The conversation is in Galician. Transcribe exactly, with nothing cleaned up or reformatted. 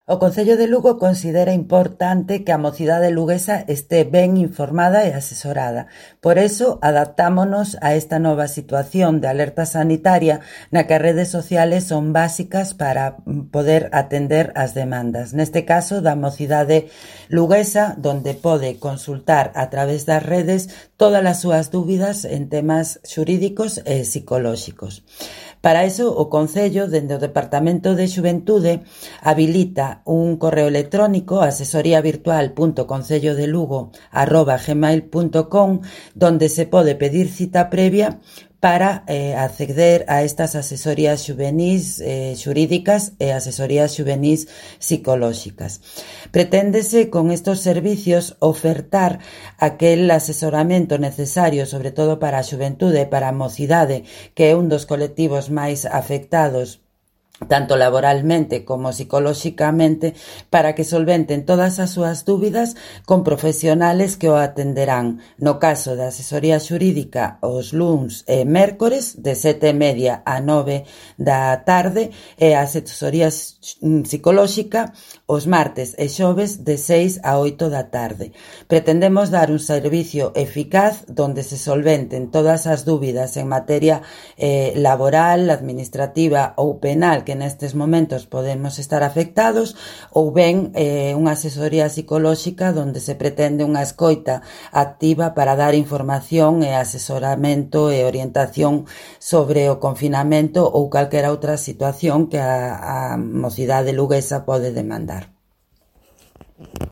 O Concello de Lugo considera importante que a mocidade luguesa este ben informada e asesorada. Por iso, adaptámonos a esta nova situación de alerta sanitaria na que as redes sociales son básicas para poder atender as demandas. Neste caso, da mocidade luguesa, donde pode consultar a través das redes todas as súas dúbidas en temas xurídicos e psicolóxicos. Para iso, o Concello, dende o Departamento de Xuventude, habilita un correo electrónico asesoría virtual punto concellodelugo arroba gmail punto com donde se pode pedir cita previa para eh, acceder a estas asesorías xuvenís eh, xurídicas e asesorías xuvenís psicolóxicas. Preténdese con estos servicios ofertar aquel asesoramento necesario, sobre todo para a xuventude e para a mocidade, que é un dos colectivos máis afectados tanto laboralmente como psicolóxicamente, para que solventen todas as súas dúbidas con profesionales que o atenderán. No caso da asesoría xurídica, os luns e mércores, de sete e media a nove da tarde, e a asesoría psicolóxica, os martes e xoves, de seis a oito da tarde. Pretendemos dar un servicio eficaz donde se solventen todas as dúbidas en materia eh, laboral, administrativa ou penal que nestes momentos podemos estar afectados, ou ben eh, unha asesoría psicolóxica donde se pretende unha escoita activa para dar información e asesoramento e orientación sobre o confinamento ou calquera outra situación que a, a mocidade luguesa pode demandar.